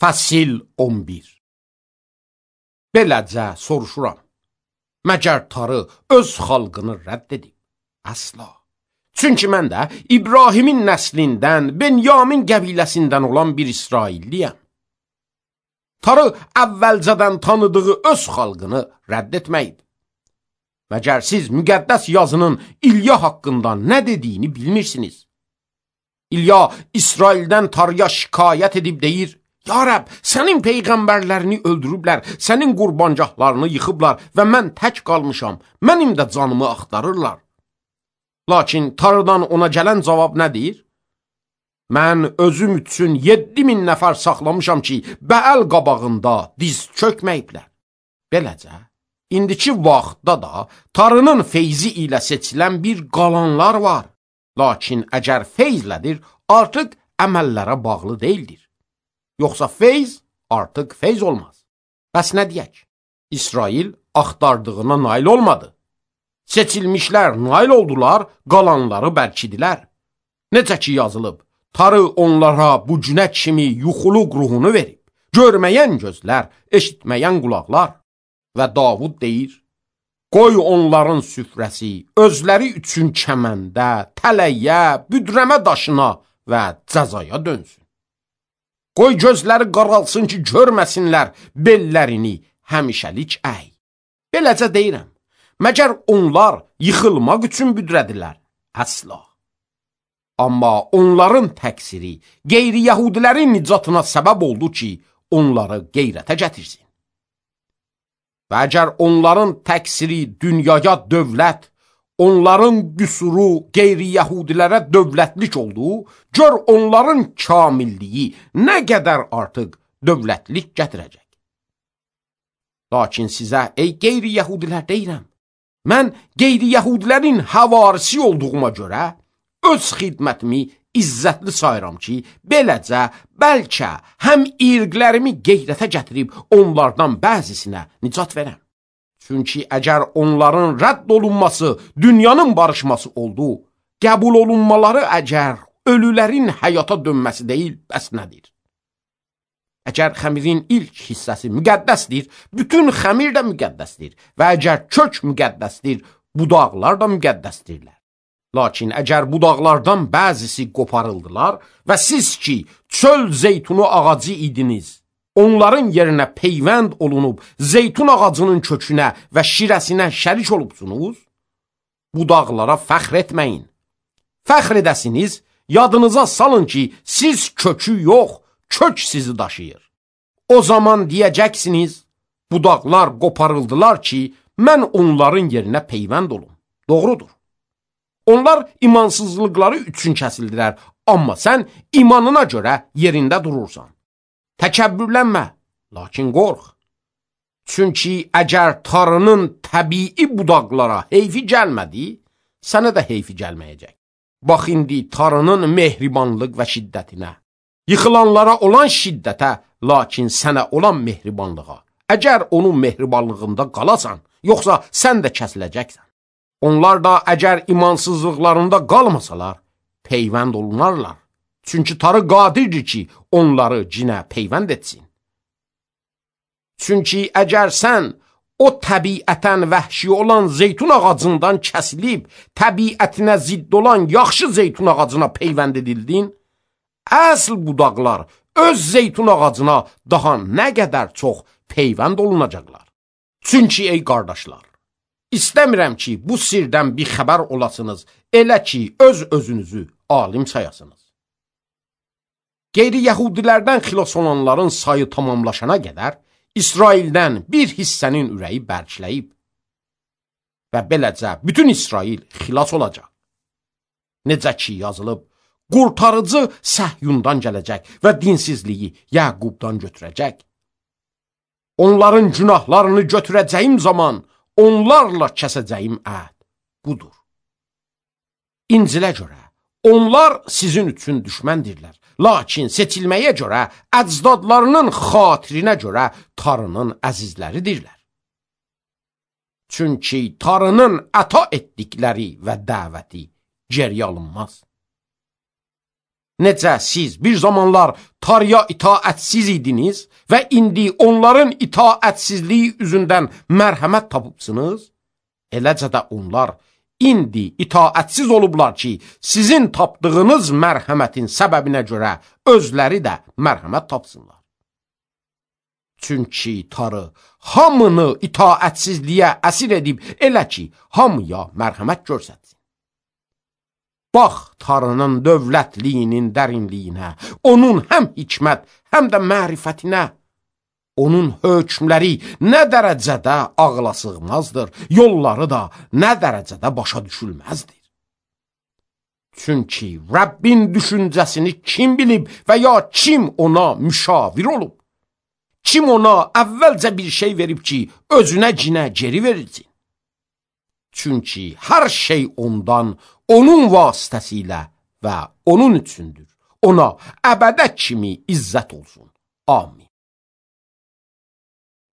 Fəsil 11. Beləcə soruşuram, məgər tarı öz xalqını rədd edib? Əsla. Çünki mən də İbrahimin nəslindən, Benyamin qəbiləsindən olan bir İsrailliyəm. Tarı əvvəlcədən tanıdığı öz xalqını rədd etməyib. Məgər siz müqəddəs yazının İlya haqqında nə dediyini bilmirsiniz? İlya İsraildən tarıya şikayət edib deyir, Ya Rəbb, sənin peyğəmbərlərini öldürüblər, sənin qurbancaqlarını yıxıblar və mən tək qalmışam, mənim də canımı axtarırlar. Lakin tarıdan ona gələn cavab nədir? Mən özüm üçün 7000 nəfər saxlamışam ki, Bəəl qabağında diz çökməyiblər. Beləcə, indiki vaxtda da tarının feyzi ilə seçilən bir qalanlar var. Lakin əgər feyzlədir, artıq əməllərə bağlı deyildir. Yoxsa feyz artıq feyz olmaz. Bəs nə deyək? İsrail axtardığına nail olmadı. Seçilmişlər nail oldular, qalanları bərkidilər. Necə ki yazılıb, tarı onlara bu günə kimi yuxuluq ruhunu verib, görməyən gözlər, eşitməyən qulaqlar. Və Davud deyir, qoy onların süfrəsi özləri üçün kəməndə, tələyə, büdrəmə daşına və cəzaya dönsün. Qoy gözləri qaralsın ki, görməsinlər bellərini həmişəlik əy. Beləcə deyirəm, məgər onlar yıxılmaq üçün büdrədilər? Əsla. Amma onların təqsiri qeyri-yəhudilərin nicatına səbəb oldu ki, onları qeyrətə gətirsin. Və əgər onların təqsiri dünyaya dövlət, onların qüsuru qeyri-yəhudilərə dövlətlik oldu, gör onların kamilliyi nə qədər artıq dövlətlik gətirəcək. Lakin sizə, ey qeyri-yəhudilər deyirəm, mən qeyri-yəhudilərin həvarisi olduğuma görə öz xidmətimi izzətli sayıram ki, beləcə bəlkə həm irqlərimi qeyrətə gətirib onlardan bəzisinə nicat verəm. Çünki əgər onların rədd olunması dünyanın barışması oldu, qəbul olunmaları əgər ölülərin həyata dönməsi deyil, bəs nədir? Əgər xəmirin ilk hissəsi müqəddəsdir, bütün xəmir də müqəddəsdir və əgər kök müqəddəsdir, budaqlar da müqəddəsdirlər. Lakin əgər budaqlardan bəzisi qoparıldılar və siz ki, çöl zeytunu ağacı idiniz, onların yerinə peyvənd olunub, zeytun ağacının kökünə və şirəsinə şərik olubsunuz, budaqlara fəxr etməyin. Fəxr edəsiniz, yadınıza salın ki, siz kökü yox, kök sizi daşıyır. O zaman deyəcəksiniz, budaqlar qoparıldılar ki, mən onların yerinə peyvənd olum. Doğrudur. Onlar imansızlıqları üçün kəsildilər, amma sən imanına görə yerində durursan. Təkəbbürlənmə, lakin qorx. Çünki əgər tarının təbii budaqlara heyfi gəlmədi, sənə də heyfi gəlməyəcək. Bax indi tarının mehribanlıq və şiddətinə, yıxılanlara olan şiddətə, lakin sənə olan mehribanlığa. Əgər onun mehribanlığında qalasan, yoxsa sən də kəsiləcəksən. Onlar da əgər imansızlıqlarında qalmasalar, peyvənd olunarlar. Çünki tarı qadirdir ki, onları cinə peyvənd etsin. Çünki əgər sən o təbiətən vəhşi olan zeytun ağacından kəsilib, təbiətinə zidd olan yaxşı zeytun ağacına peyvənd edildin, əsl budaqlar öz zeytun ağacına daha nə qədər çox peyvənd olunacaqlar. Çünki ey qardaşlar, İstəmirəm ki, bu sirdən bir xəbər olasınız, elə ki, öz-özünüzü alim sayasınız. Qeyri-yəhudilərdən xilas olanların sayı tamamlaşana qədər, İsraildən bir hissənin ürəyi bərkləyib və beləcə bütün İsrail xilas olacaq. Necə ki yazılıb, qurtarıcı Səhyundan gələcək və dinsizliyi Yəqubdan götürəcək. Onların günahlarını götürəcəyim zaman, onlarla kəsəcəyim əhd budur. İncilə görə, onlar sizin üçün düşməndirlər. Lakin seçilməyə görə, əcdadlarının xatirinə görə tarının əzizləridirlər. Çünki tarının əta etdikləri və dəvəti geriyə alınmaz. necə siz bir zamanlar Tarya itaətsiz idiniz və indi onların itaətsizliyi üzündən mərhəmət tapıbsınız, eləcə də onlar indi itaətsiz olublar ki, sizin tapdığınız mərhəmətin səbəbinə görə özləri də mərhəmət tapsınlar. Çünki Tarı hamını itaətsizliyə əsir edib elə ki, hamıya mərhəmət göstərsin. Bax Tarının dövlətliyinin dərinliyinə, onun həm hikmət, həm də mərifətinə. Onun hökmləri nə dərəcədə ağla sığmazdır, yolları da nə dərəcədə başa düşülməzdir. Çünki Rəbbin düşüncəsini kim bilib və ya kim ona müşavir olub? Kim ona əvvəlcə bir şey verib ki, özünə cinə geri verilsin? Çünki hər şey ondan, onun vasitəsilə və onun üçündür. Ona əbədə kimi izzət olsun. Amin.